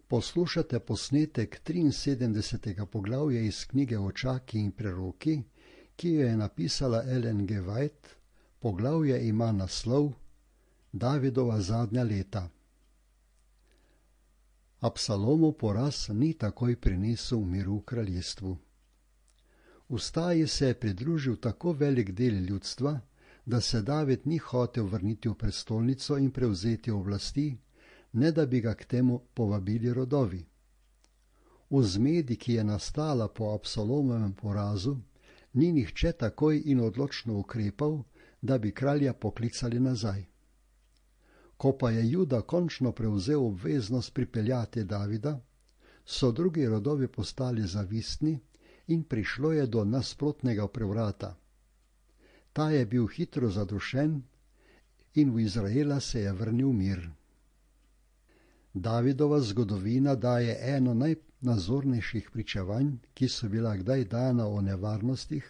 Poslušate posnetek 73. poglavja iz knjige Očaki in preroki, ki jo je napisala Ellen G. White. Poglavje ima naslov Davidova zadnja leta. Absalomov poraz ni takoj prinesel miru v kraljestvu. Ustaji se je pridružil tako velik del ljudstva, da se David ni hotel vrniti v prestolnico in prevzeti oblasti, ne da bi ga k temu povabili rodovi. V zmedi, ki je nastala po Absalomovem porazu, ni nihče takoj in odločno ukrepal, da bi kralja poklicali nazaj. Ko pa je Juda končno prevzel obveznost pripeljati Davida, so drugi rodovi postali zavistni in prišlo je do nasprotnega prevrata. Ta je bil hitro zadušen in v Izraela se je vrnil mir. Davidova zgodovina daje eno najnazornejših pričevanj, ki so bila kdaj dana o nevarnostih,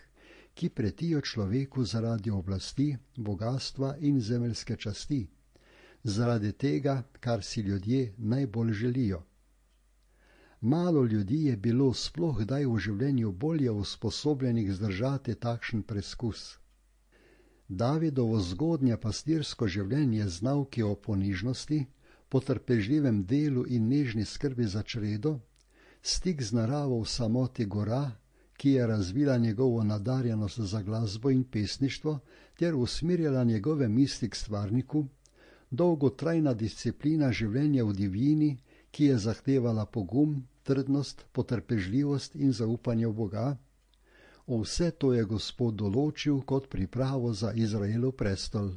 ki pretijo človeku zaradi oblasti, bogastva in zemeljske časti, zaradi tega, kar si ljudje najbolj želijo. Malo ljudi je bilo sploh kdaj v življenju bolje usposobljenih zdržati takšen preskus. Davidovo zgodnje pastirsko življenje z nauki o ponižnosti, potrpežljivem delu in nežni skrbi za čredo, stik z naravo v samoti gora, ki je razvila njegovo nadarjenost za glasbo in pesništvo ter usmirjala njegove misli k stvarniku, dolgotrajna disciplina življenja v divjini, ki je zahtevala pogum, trdnost, potrpežljivost in zaupanje v Boga, vse to je Gospod določil kot pripravo za Izraelov prestol.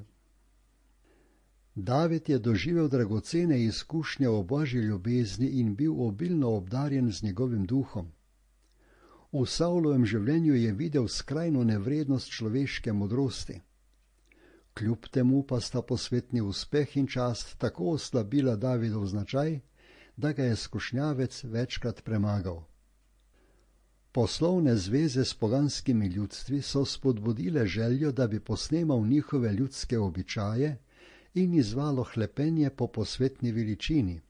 David je doživel dragocene izkušnje o Božji ljubezni in bil obilno obdarjen z njegovim duhom. V Savlovem življenju je videl skrajno nevrednost človeške modrosti. Kljub temu pa sta posvetni uspeh in čast tako oslabila Davidov značaj, da ga je skušnjavec večkrat premagal. Poslovne zveze s poganskimi ljudstvi so spodbudile željo, da bi posnemal njihove ljudske običaje in izvalo hlepenje po posvetni veličini.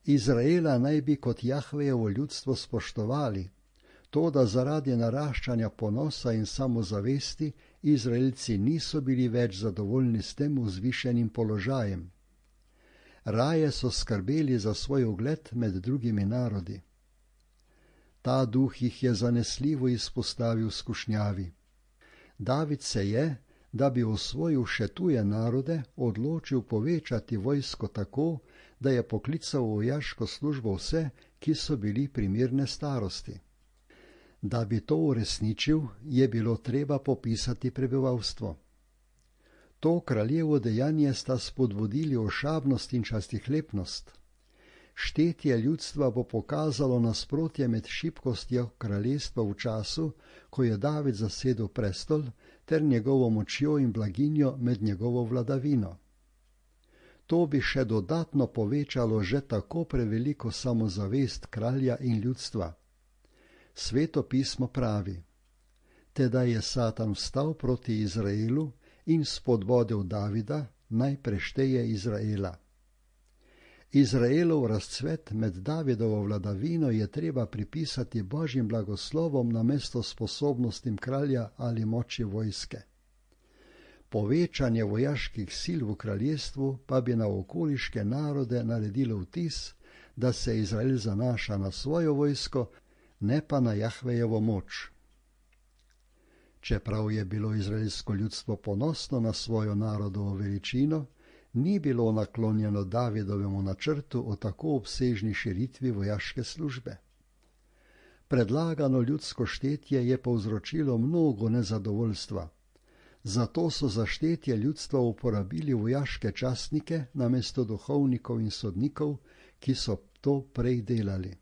Izraela naj bi kot Jahvejevo ljudstvo spoštovali, to da zaradi naraščanja ponosa in samozavesti Izraelci niso bili več zadovoljni s tem vzvišenim položajem. Raje so skrbeli za svoj ugled med drugimi narodi. Ta duh jih je zanesljivo izpostavil skušnjavi. David se je, da bi osvojil še tuje narode, odločil povečati vojsko tako, da je poklical v vojaško službo vse, ki so bili primerne starosti. Da bi to uresničil, je bilo treba popisati prebivalstvo. To kraljevo dejanje sta spodbudili ošabnost in častihlepnost. Štetje ljudstva bo pokazalo nasprotje med šibkostjo kraljestva v času, ko je David zasedel prestol, ter njegovo močjo in blaginjo med njegovo vladavino. To bi še dodatno povečalo že tako preveliko samozavest kralja in ljudstva. Sveto pismo pravi: Tedaj je Satan vstal proti Izraelu in spodbodel Davida, naj prešteje Izraela. Izraelov razcvet med Davidovo vladavino je treba pripisati Božjim blagoslovom namesto sposobnostim kralja ali moči vojske. Povečanje vojaških sil v kraljestvu pa bi na okoliške narode naredilo vtis, da se Izrael zanaša na svojo vojsko, ne pa na Jahvejevo moč. Čeprav je bilo izraelsko ljudstvo ponosno na svojo narodovo veličino, ni bilo naklonjeno Davidovemu načrtu o tako obsežni širitvi vojaške službe. Predlagano ljudsko štetje je povzročilo mnogo nezadovoljstva. Zato so za štetje ljudstva uporabili vojaške častnike namesto duhovnikov in sodnikov, ki so to prej delali.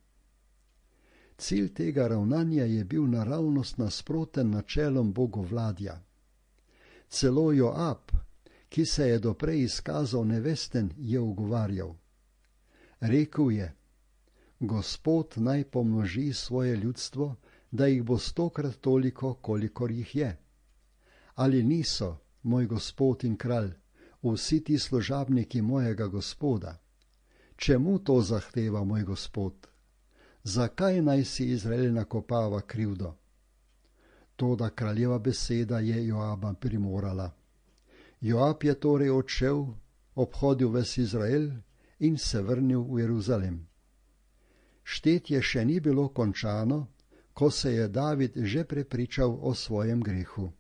Cilj tega ravnanja je bil naravnost nasproten načelom bogovladja. Celo Joab, ki se je doprej izkazal nevesten, je ugovarjal. Rekel je: Gospod naj pomnoži svoje ljudstvo, da jih bo 100-krat toliko, kolikor jih je. Ali niso, moj gospod in kralj, vsi ti služabniki mojega gospoda? čemu to zahteva moj Gospod? Zakaj naj si Izrael nakopava krivdo? Toda kraljeva beseda je Joaba primorala. Joab je torej odšel, obhodil ves Izrael in se vrnil v Jeruzalem. Štetje še ni bilo končano, ko se je David že prepričal o svojem grehu.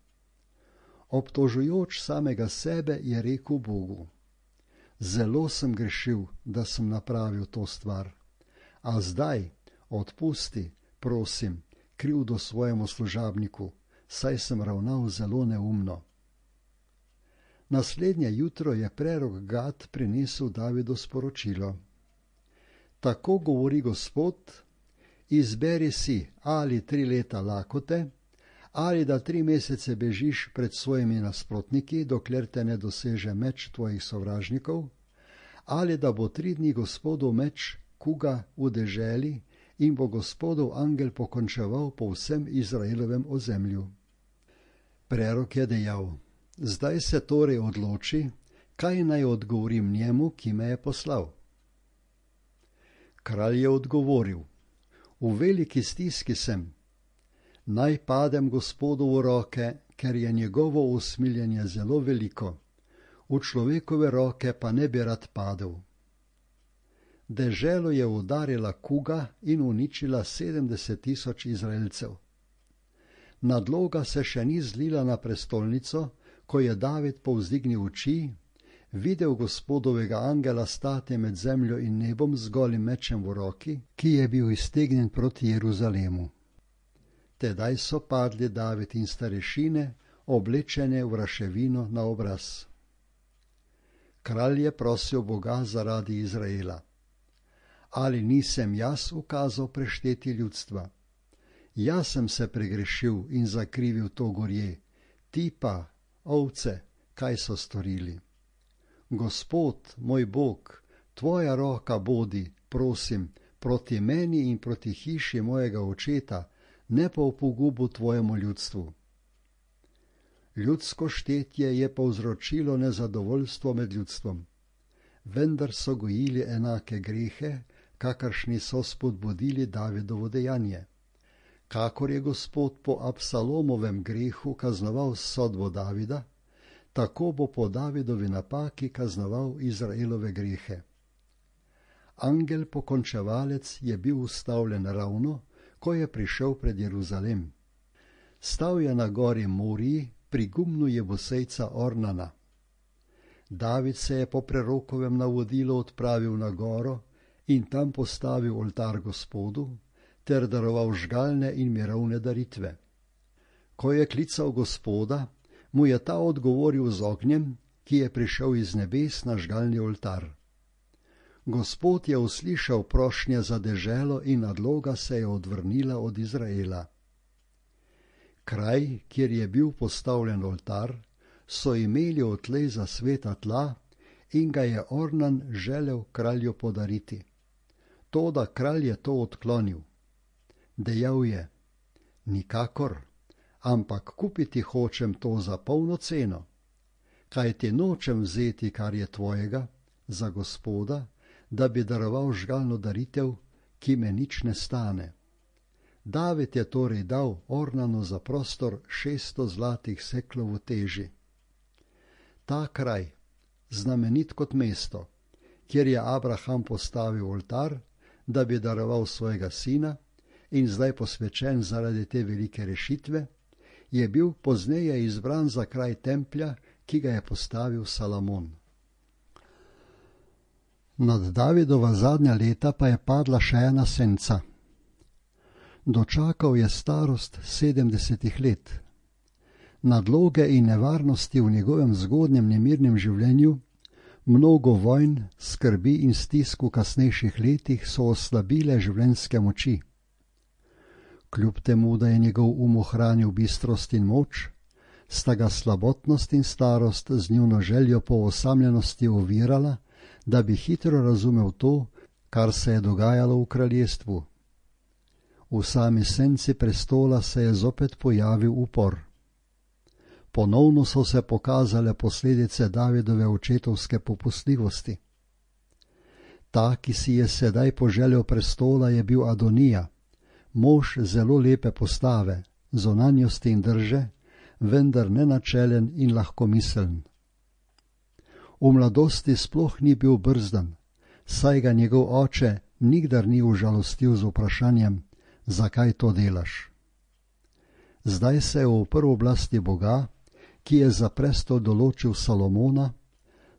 Obtožujoč samega sebe je rekel Bogu: Zelo sem grešil, da sem napravil to stvar, a zdaj odpusti, prosim, krivdo svojemu služabniku, saj sem ravnal zelo neumno. Naslednje jutro je prerok Gad prinesel Davidu sporočilo: Tako govori Gospod, izberi si ali 3 leta lakote, ali da 3 mesece bežiš pred svojimi nasprotniki, dokler te ne doseže meč tvojih sovražnikov, ali da bo 3 dni Gospodov meč kuga v deželi in bo Gospodov angel pokončeval po vsem Izraelovem ozemlju. Prerok je dejal: Zdaj se torej odloči, kaj naj odgovorim njemu, ki me je poslal. Kralj je odgovoril: V veliki stiski sem. Naj padem Gospodu v roke, ker je njegovo usmiljenje zelo veliko, v človekove roke pa ne bi rad padel. Deželo je udarila kuga in uničila 70 000 Izraelcev. Nadloga se še ni zlila na prestolnico, ko je David povzdignil oči, videl Gospodovega angela stati med zemljo in nebom z golim mečem v roki, ki je bil iztegnjen proti Jeruzalemu. Tedaj so padli David in starešine, oblečene v raševino na obraz. Kralj je prosil Boga zaradi Izraela: Ali nisem jaz ukazal prešteti ljudstva? Jaz sem se pregrešil in zakrivil to gorje, ti pa, ovce, kaj so storili? Gospod, moj Bog, tvoja roka bodi, prosim, proti meni in proti hiši mojega očeta, ne pa v pogubu tvojemu ljudstvu. Ljudsko štetje je povzročilo nezadovoljstvo med ljudstvom, vendar so gojili enake grehe, kakršni so spodbudili Davidovo dejanje. Kakor je Gospod po Absalomovem grehu kaznoval sodbo Davida, tako bo po Davidovi napaki kaznoval Izraelove grehe. Angel pokončevalec je bil ustavljen ravno, ko je prišel pred Jeruzalem. Stal je na gori Moriji pri gumnu Jebusejca Ornana. David se je po prerokovem navodilu odpravil na goro in tam postavil oltar Gospodu ter daroval žgalne in mirovne daritve. Ko je klical Gospoda, mu je ta odgovoril z ognjem, ki je prišel iz nebes na žgalni oltar. Gospod je uslišal prošnje za deželo in nadloga se je odvrnila od Izraela. Kraj, kjer je bil postavljen oltar, so imeli odtlej za sveta tla in ga je Ornan želel kralju podariti. Toda kralj je to odklonil. Dejal je: Nikakor, ampak kupiti hočem to za polno ceno, kajti nočem vzeti, kar je tvojega, za Gospoda, da bi daroval žgalno daritev, ki me nič ne stane. David je torej dal Ornanu za prostor 600 zlatih seklov v teži. Ta kraj, znamenit kot mesto, kjer je Abraham postavil oltar, da bi daroval svojega sina, in zdaj posvečen zaradi te velike rešitve, je bil pozneje izbran za kraj templja, ki ga je postavil Salomon. Nad Davidova zadnja leta pa je padla še ena senca. Dočakal je starost 70 let. Nadloge in nevarnosti v njegovem zgodnjem nemirnem življenju, mnogo vojn, skrbi in stisk v kasnejših letih so oslabile življenjske moči. Kljub temu, da je njegov ohranil bistrost in moč, sta ga slabotnost in starost z njuno željo po osamljenosti ovirala, da bi hitro razumel to, kar se je dogajalo v kraljestvu. V sami senci prestola se je zopet pojavil upor. Ponovno so se pokazale posledice Davidove očetovske popustljivosti. Ta, ki si je sedaj poželel prestola, je bil Adonija, mož zelo lepe postave, zunanjosti in drže, vendar nenačelen in lahkomiseln. V mladosti sploh ni bil brzdan, saj ga njegov oče nikdar ni užalostil z vprašanjem, zakaj to delaš. Zdaj se je uprl oblasti Boga, ki je za prestol določil Salomona.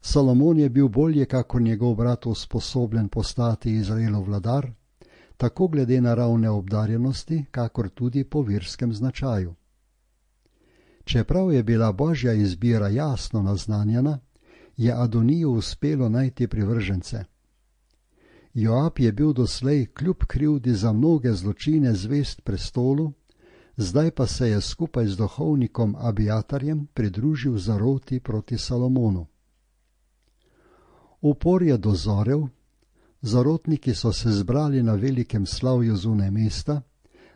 Salomon je bil bolje kakor njegov brat usposobljen postati Izraelov vladar, tako glede naravne obdarjenosti, kakor tudi po verskem značaju. Čeprav je bila božja izbira jasno naznanjena, je Adoniju uspelo najti privržence. Joab je bil doslej kljub krivdi za mnoge zločine zvest prestolu, zdaj pa se je skupaj z duhovnikom Abiatarjem pridružil zaroti proti Salomonu. Upor je dozorel, zarotniki so se zbrali na velikem slavju zunaj mesta,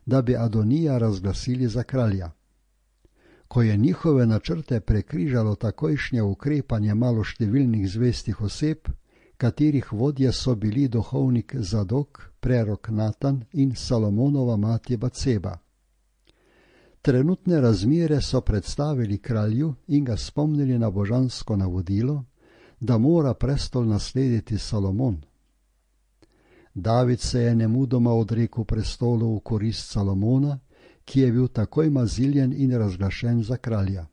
da bi Adonija razglasili za kralja. Ko je njihove načrte prekrižalo takojšnje ukrepanje maloštevilnih zvestih oseb, katerih vodje so bili duhovnik Zadok, prerok Natan in Salomonova mati Baceba. Trenutne razmere so predstavili kralju in ga spomnili na božansko navodilo, da mora prestol naslediti Salomon. David se je nemudoma odrekel prestolu v korist Salomona, ki je bil takoj maziljen in razglašen za kralja.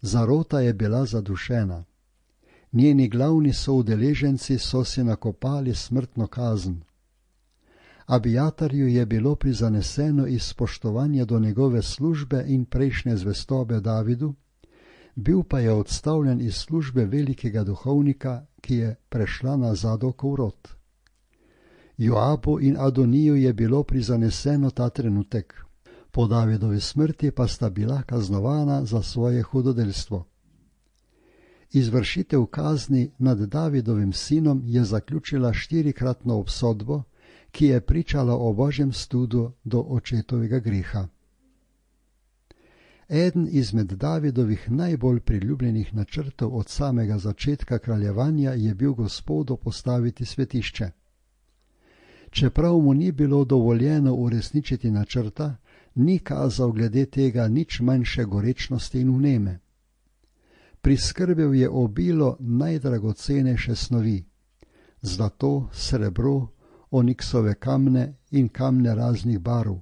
Zarota je bila zadušena. Njeni glavni soudeleženci so si nakopali smrtno kazen. Abiatarju je bilo prizaneseno iz spoštovanja do njegove službe in prejšnje zvestobe Davidu, bil pa je odstavljen iz službe velikega duhovnika, ki je prešla na Zadokov rod. Joabu in Adoniju je bilo prizaneseno ta trenutek, po Davidovi smrti pa sta bila kaznovana za svoje hudodelstvo. Izvršitev kazni nad Davidovim sinom je zaključila 4-kratno obsodbo, ki je pričala o božjem studu do očetovega greha. Eden izmed Davidovih najbolj priljubljenih načrtov od samega začetka kraljevanja je bil Gospodu postaviti svetišče. Čeprav mu ni bilo dovoljeno uresničiti načrta, ni kazal glede tega nič manjše gorečnosti in vneme. Priskrbel je obilo najdragocenejše snovi, zlato, srebro, oniksove kamne in kamne raznih barv,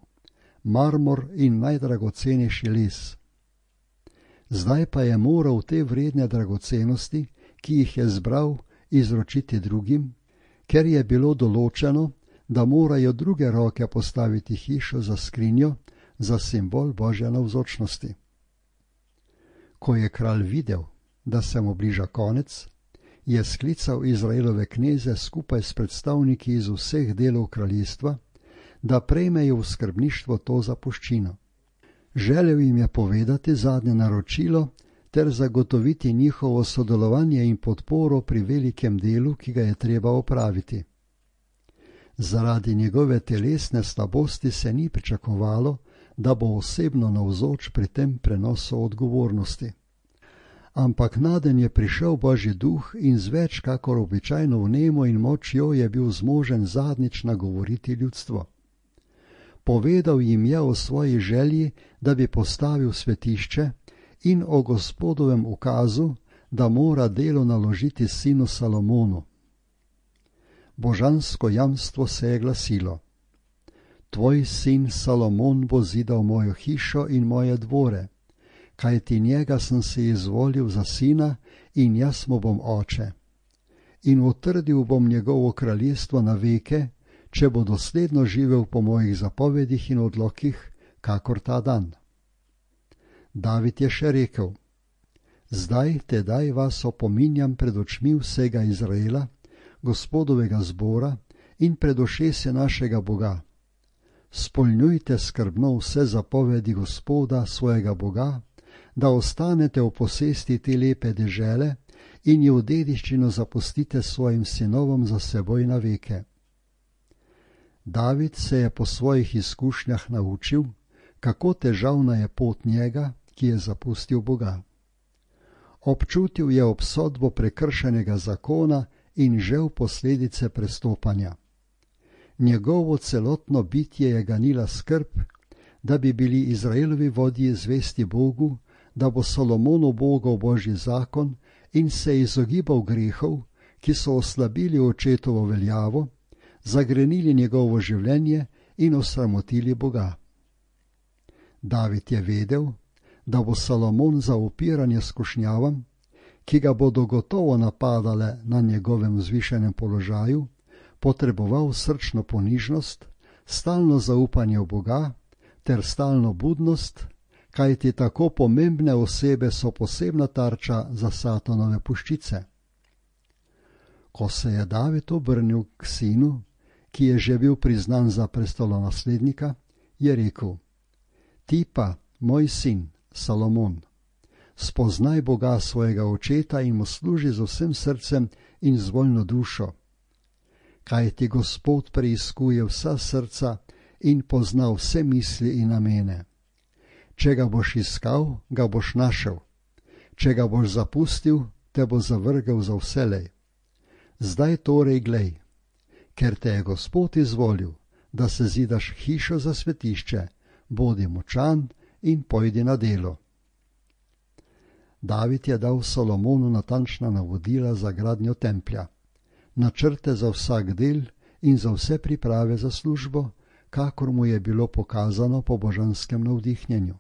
marmor in najdragocenejši les. Zdaj pa je moral te vredne dragocenosti, ki jih je zbral, izročiti drugim, ker je bilo določeno, da morajo druge roke postaviti hišo za skrinjo, za simbol božje navzočnosti. Ko je kralj videl, da se mu bliža konec, je sklical Izraelove kneze skupaj s predstavniki iz vseh delov kraljestva, da prejmejo v skrbništvo to zapuščino. Želel jim je povedati zadnje naročilo ter zagotoviti njihovo sodelovanje in podporo pri velikem delu, ki ga je treba opraviti. Zaradi njegove telesne slabosti se ni pričakovalo, da bo osebno navzoč pri tem prenosu odgovornosti. Ampak naden je prišel božji duh in z več kakor običajno vnemo in močjo je bil zmožen zadnjič nagovoriti ljudstvo. Povedal jim je o svoji želji, da bi postavil svetišče, in o Gospodovem ukazu, da mora delo naložiti sinu Salomonu. Božansko jamstvo se je glasilo: Tvoj sin Salomon bo zidal mojo hišo in moje dvore, kajti njega sem si izvolil za sina in jaz mu bom oče. In utrdil bom njegovo kraljestvo na veke, če bo dosledno živel po mojih zapovedih in odlokih, kakor ta dan. David je še rekel: Zdaj tedaj vas opominjam pred očmi vsega Izraela, Gospodovega zbora in pred ušesi našega Boga. Spolnjujte skrbno vse zapovedi Gospoda, svojega Boga, da ostanete v posesti te lepe dežele in jo v dediščino zapustite svojim sinovom za seboj na veke. David se je po svojih izkušnjah naučil, kako težavna je pot njega, ki je zapustil Boga. Občutil je obsodbo prekršenega zakona in žel posledice prestopanja. Njegovo celotno bitje je ganila skrb, da bi bili Izraelovi vodji zvesti Bogu, da bo Solomon ubogal Božji zakon in se izogibal grehov, ki so oslabili očetovo veljavo, zagrenili njegovo življenje in osramotili Boga. David je vedel, da bo Solomon za upiranje skušnjavam, ki ga bodo gotovo napadale na njegovem vzvišenem položaju, potreboval srčno ponižnost, stalno zaupanje v Boga ter stalno budnost, kajti tako pomembne osebe so posebna tarča za Satanove puščice. Ko se je David obrnil k sinu, ki je že bil priznan za prestolonaslednika, je rekel: Ti pa, moj sin, Solomon, spoznaj Boga svojega očeta in mu služi z vsem srcem in z voljno dušo. Kajti Gospod preiskuje vsa srca in pozna vse misli in namene. Če ga boš iskal, ga boš našel. Če ga boš zapustil, te bo zavrgel za vselej. Zdaj torej glej, ker te je Gospod izvolil, da se zidaš hišo za svetišče, bodi močan in pojdi na delo. David je dal Solomonu natančna navodila za gradnjo templja, načrte za vsak del in za vse priprave za službo, kakor mu je bilo pokazano po božanskem navdihnjenju.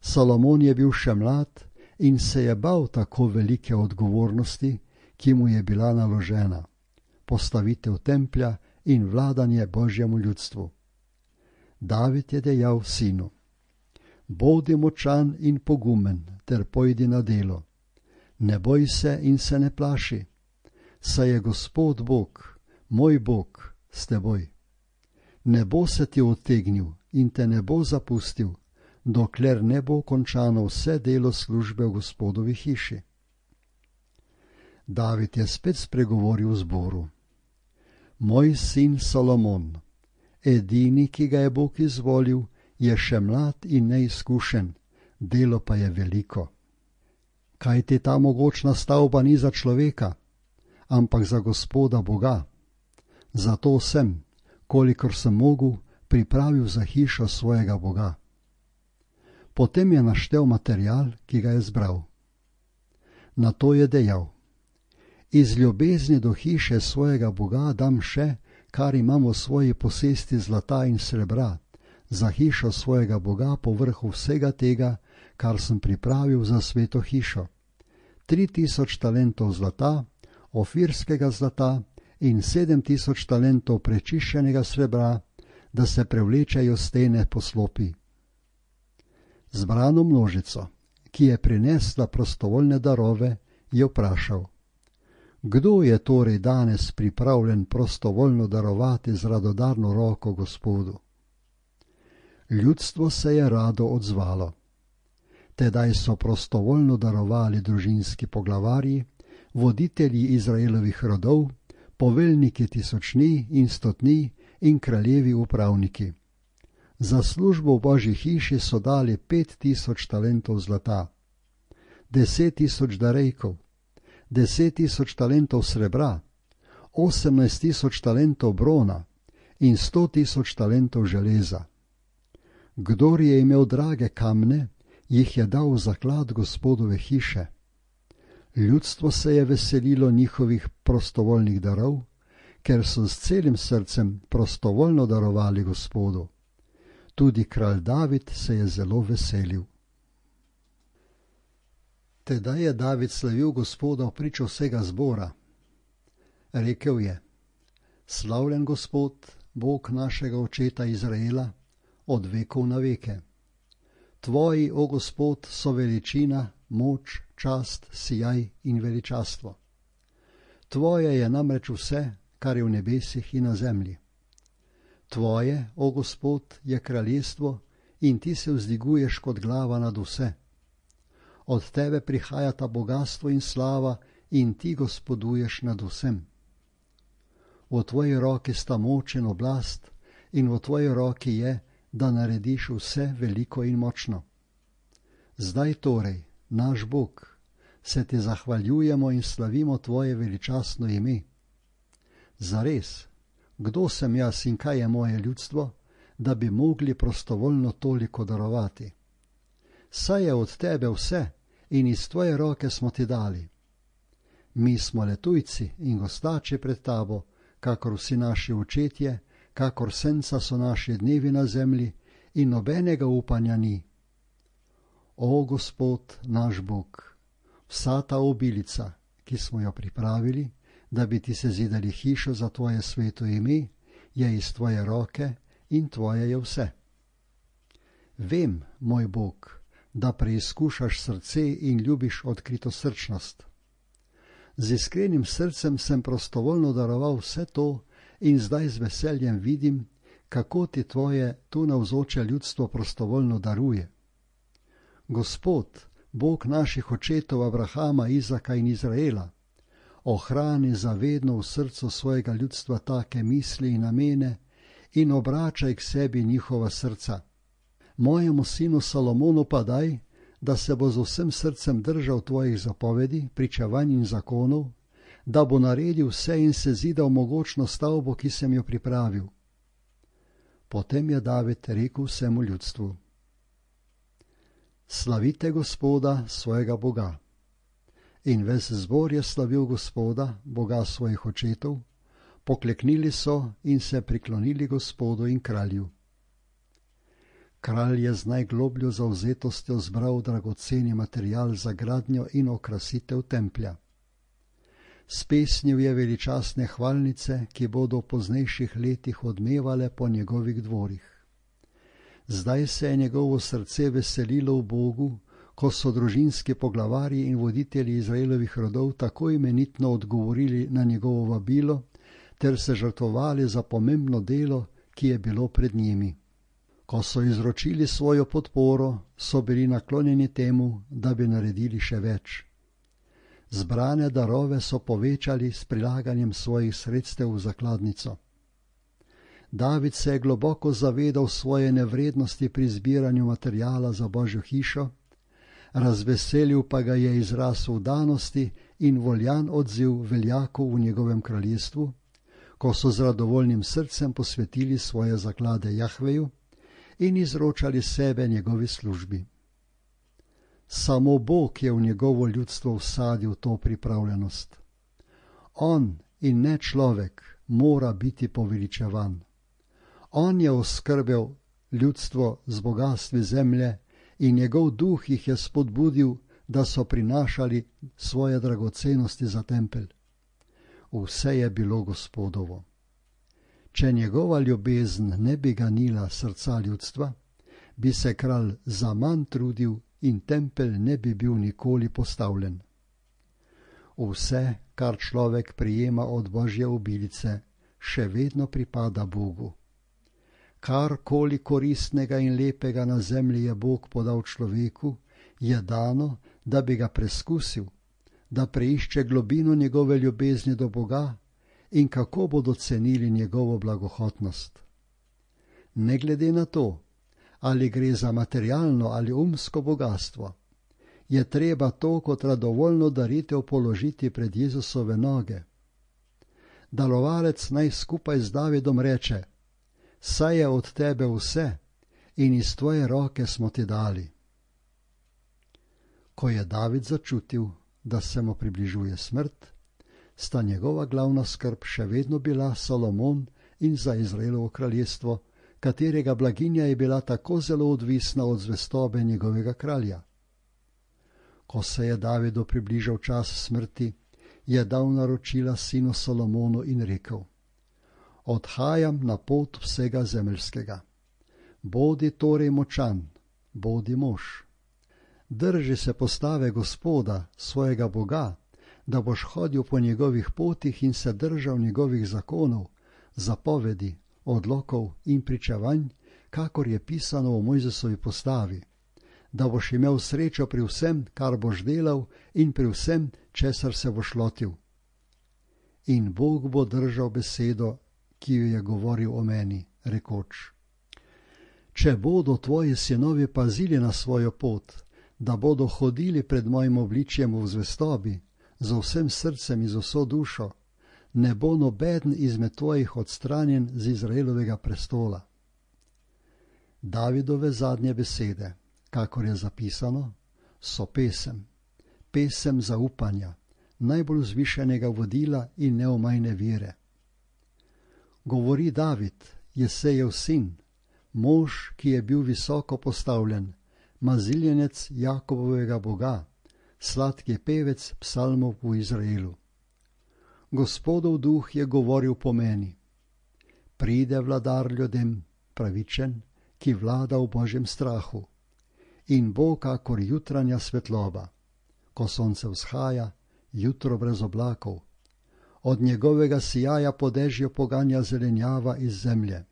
Solomon je bil še mlad in se je bal tako velike odgovornosti, ki mu je bila naložena, postavitev templja in vladanje Božjemu ljudstvu. David je dejal sinu: Bodi močan in pogumen ter pojdi na delo. Ne boj se in se ne plaši, saj je Gospod Bog, moj Bog, s teboj. Ne bo se ti odtegnil in te ne bo zapustil, dokler ne bo končano vse delo službe v Gospodovi hiši. David je spet spregovoril v zboru: Moj sin Solomon, edini, ki ga je Bog izvolil, je še mlad in neizkušen, delo pa je veliko. Kajti ta mogočna stavba ni za človeka, ampak za Gospoda Boga. Zato sem, kolikor sem mogel, pripravil za hišo svojega Boga. Potem je naštel material, ki ga je zbral. Nato je dejal: Iz ljubezni do hiše svojega Boga dam še, kar imam v svoji posesti zlata in srebra, za hišo svojega Boga povrhu vsega tega, kar sem pripravil za sveto hišo. 3000 talentov zlata, ofirskega zlata in 7000 talentov prečiščenega srebra, da se prevlečejo stene poslopi. Zbrano množico, ki je prinesla prostovoljne darove, je vprašal: Kdo je torej danes pripravljen prostovoljno darovati z radodarno roko Gospodu? Ljudstvo se je rado odzvalo. Tedaj so prostovoljno darovali družinski poglavarji, voditelji Izraelovih rodov, poveljniki tisočni in stotni in kraljevi upravniki. Za službo v Božji hiši so dali 5000 talentov zlata, 10 000 darejkov, 10 000 talentov srebra, 18 000 talentov brona in 100 000 talentov železa. Kdor je imel drage kamne, jih je dal v zaklad Gospodove hiše. Ljudstvo se je veselilo njihovih prostovoljnih darov, ker so s celim srcem prostovoljno darovali Gospodu. Tudi kralj David se je zelo veselil. Tedaj je David slavil Gospoda v pričo vsega zbora. Rekel je: Slavljen Gospod, Bog našega očeta Izraela, od vekov na veke. Tvoji, o Gospod, so veličina, moč, čast, sijaj in veličastvo. Tvoje je namreč vse, kar je v nebesih in na zemlji. Tvoje, o Gospod, je kraljestvo in ti se vzdiguješ kot glava nad vse. Od tebe prihajata bogastvo in slava in ti gospoduješ nad vsem. V tvoji roki sta moč in oblast in v tvoji roki je, da narediš vse veliko in močno. Zdaj torej, naš Bog, se ti zahvaljujemo in slavimo tvoje veličastno ime. Zares, kdo sem jaz in kaj je moje ljudstvo, da bi mogli prostovoljno toliko darovati? Saj je od tebe vse in iz tvoje roke smo ti dali. Mi smo le tujci in gostači pred tabo, kakor vsi naši očetje, kakor senca so naši dnevi na zemlji in nobenega upanja ni. O Gospod, naš Bog, vsa ta obilica, ki smo jo pripravili, da bi ti sezidali hišo za tvoje sveto ime, je iz tvoje roke in tvoje je vse. Vem, moj Bog, da preizkušaš srce in ljubiš odkritosrčnost. Z iskrenim srcem sem prostovoljno daroval vse to in zdaj z veseljem vidim, kako ti tvoje tu navzoče ljudstvo prostovoljno daruje. Gospod, Bog naših očetov Abrahama, Izaka in Izraela, ohrani zavedno v srcu svojega ljudstva take misli in namene in obračaj k sebi njihova srca. Mojemu sinu Salomonu pa daj, da se bo z vsem srcem držal tvojih zapovedi, pričevanj in zakonov, da bo naredil vse in sezidal mogočno stavbo, ki sem jo pripravil. Potem je David rekel vsemu ljudstvu: Slavite Gospoda, svojega Boga. In ves zbor je slavil Gospoda, Boga svojih očetov, pokleknili so in se priklonili Gospodu in kralju. Kralj je z najglobljo zavzetostjo zbral dragoceni material za gradnjo in okrasitev templja. Spesnil je veličastne hvalnice, ki bodo v poznejših letih odmevale po njegovih dvorih. Zdaj se je njegovo srce veselilo v Bogu, ko so družinski poglavarji in voditelji Izraelovih rodov tako imenitno odgovorili na njegovo vabilo ter se žrtvovali za pomembno delo, ki je bilo pred njimi. Ko so izročili svojo podporo, so bili naklonjeni temu, da bi naredili še več. Zbrane darove so povečali s prilaganjem svojih sredstev v zakladnico. David se je globoko zavedal svoje nevrednosti pri zbiranju materijala za Božjo hišo, razveselil pa ga je izraz vdanosti in voljan odziv veljakov v njegovem kraljestvu, ko so z radovoljnim srcem posvetili svoje zaklade Jahveju in izročali sebe njegovi službi. Samo Bog je v njegovo ljudstvo vsadil to pripravljenost. On in ne človek mora biti poveličevan. On je oskrbel ljudstvo z bogastvi zemlje in njegov duh jih je spodbudil, da so prinašali svoje dragocenosti za tempelj. Vse je bilo Gospodovo. Če njegova ljubezen ne bi ganila srca ljudstva, bi se kralj zaman trudil in tempelj ne bi bil nikoli postavljen. Vse, kar človek prijema od Božje obilice, še vedno pripada Bogu. Karkoli koristnega in lepega na zemlji je Bog podal človeku, je dano, da bi ga preskusil, da preišče globino njegove ljubezni do Boga in kako bodo cenili njegovo blagohotnost. Ne glede na to, ali gre za materialno ali umsko bogastvo, je treba to kot radovoljno daritev položiti pred Jezusove noge. Darovalec naj skupaj z Davidom reče: Saj je od tebe vse in iz tvoje roke smo ti dali. Ko je David začutil, da se mu približuje smrt, sta njegova glavna skrb še vedno bila Salomon in za Izraelovo kraljestvo, katerega blaginja je bila tako zelo odvisna od zvestobe njegovega kralja. Ko se je Davidu približal čas smrti, je dal naročila sinu Salomonu in rekel: Odhajam na pot vsega zemeljskega. Bodi torej močan, bodi mož. Drži se postave Gospoda, svojega Boga, da boš hodil po njegovih potih in se držal njegovih zakonov, zapovedi, odlokov in pričevanj, kakor je pisano v Mojzesovi postavi, da boš imel srečo pri vsem, kar boš delal in pri vsem, česar se boš lotil. In Bog bo držal besedo, ki jo je govoril o meni, rekoč: Če bodo tvoji sinovi pazili na svojo pot, da bodo hodili pred mojim obličjem v zvestobi, z vsem srcem in z vso dušo, ne bo nobeden izmed tvojih odstranjen z Izraelovega prestola. Davidove zadnje besede, kakor je zapisano, so pesem zaupanja, najbolj vzvišenega vodila in neomajne vere. Govori David, Jesejev sin, mož, ki je bil visoko postavljen, maziljenec Jakobovega Boga, sladki pevec psalmov v Izraelu. Gospodov duh je govoril po meni. Pride vladar ljudem, pravičen, ki vlada v Božjem strahu, in bo kakor jutranja svetloba, ko sonce vzhaja, jutro brez oblakov. Od njegovega sijaja po dežju poganja zelenjava iz zemlje.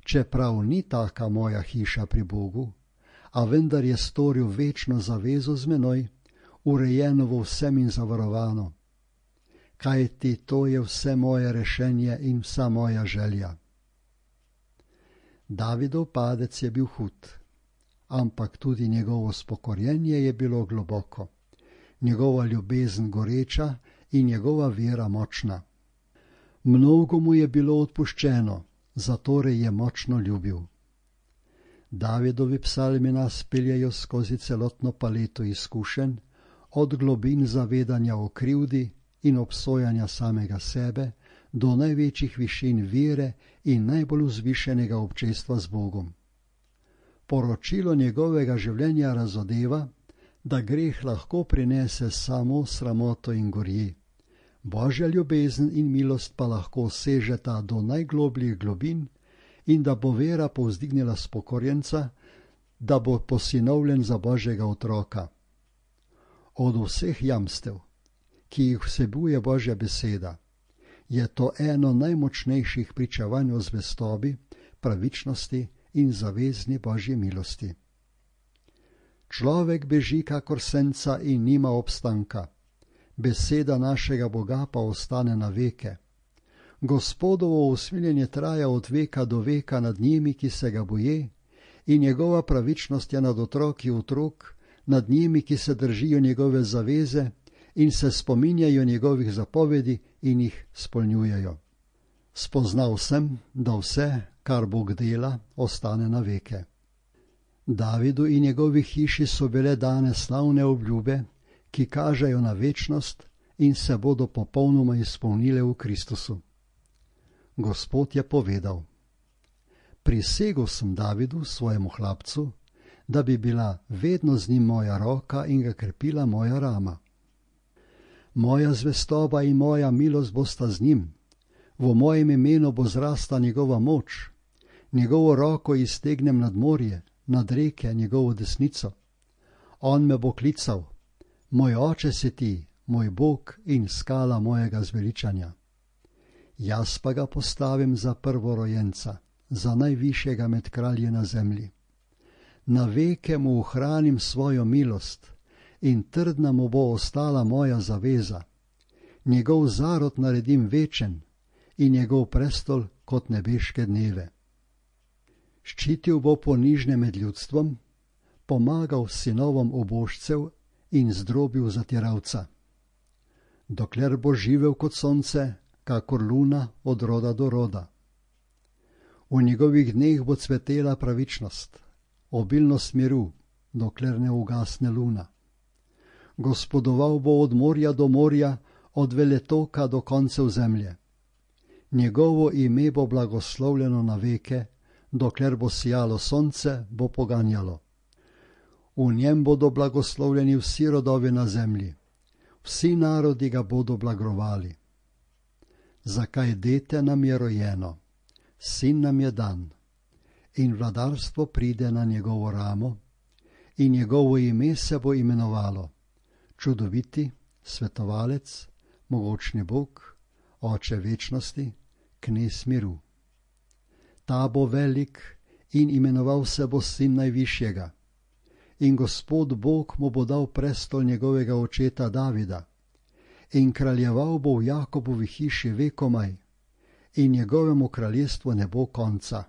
Čeprav ni taka moja hiša pri Bogu, a vendar je storil večno zavezo z menoj, urejeno v vsem in zavarovano. Kajti to je vse moje rešenje in vsa moja želja. Davidov padec je bil hud, ampak tudi njegovo spokorjenje je bilo globoko, njegova ljubezen goreča in njegova vera močna. Mnogo mu je bilo odpuščeno, zatorej je močno ljubil. Davidovi psalmi nas peljejo skozi celotno paleto izkušenj, od globin zavedanja o krivdi in obsojanja samega sebe do največjih višin vere in najbolj vzvišenega občestva z Bogom. Poročilo njegovega življenja razodeva, da greh lahko prinese samo sramoto in gorji. Božja ljubezen in milost pa lahko sežeta do najglobljih globin in da bo vera povzdignila spokorjenca, da bo posinovljen za Božjega otroka. Od vseh jamstev, ki jih vsebuje Božja beseda, je to eno najmočnejših pričevanj o zvestobi, pravičnosti in zavezni Božji milosti. Človek beži kakor senca in nima obstanka, beseda našega Boga pa ostane na veke. Gospodovo usmiljenje traja od veka do veka nad njimi, ki se ga boje, in njegova pravičnost je nad otroki otrok, nad njimi, ki se držijo njegove zaveze in se spominjajo njegovih zapovedi in jih spolnjujejo. Spoznal sem, da vse, kar Bog dela, ostane na veke. Davidu in njegovi hiši so bile dane slavne obljube, ki kažejo na večnost in se bodo popolnoma izpolnile v Kristusu. Gospod je povedal: Prisegel sem Davidu, svojemu hlapcu, da bi bila vedno z njim moja roka in ga krepila moja rama. Moja zvestoba in moja milost bosta z njim, v mojem imenu bo zrasta njegova moč, njegovo roko iztegnem nad morje, nad reke njegovo desnico. On me bo klical: Moj oče si ti, moj Bog in skala mojega zveličanja. Jaz pa ga postavim za prvorojenca, za najvišjega med kralji na zemlji. Na veke mu ohranim svojo milost in trdna mu bo ostala moja zaveza. Njegov zarod naredim večen in njegov prestol kot nebeške dneve. Ščitil bo ponižne med ljudstvom, pomagal sinovom ubožcev in zdrobil zatiralca. Dokler bo živel kot sonce, kakor luna od roda do roda. V njegovih dneh bo cvetela pravičnost, obilnost miru, dokler ne ugasne luna. Gospodoval bo od morja do morja, od veletoka do koncev zemlje. Njegovo ime bo blagoslovljeno na veke, dokler bo sijalo sonce, bo poganjalo. V njem bodo blagoslovljeni vsi rodovi na zemlji, vsi narodi ga bodo blagrovali. Zakaj dete nam je rojeno, sin nam je dan, in vladarstvo pride na njegovo ramo, in njegovo ime se bo imenovalo Čudoviti, Svetovalec, Mogočni Bog, Oče večnosti, Knez miru. Ta bo velik in imenoval se bo Sin Najvišjega. In Gospod Bog mu bo dal prestol njegovega očeta Davida in kraljeval bo v Jakobovi hiši vekomaj in njegovemu kraljestvu ne bo konca.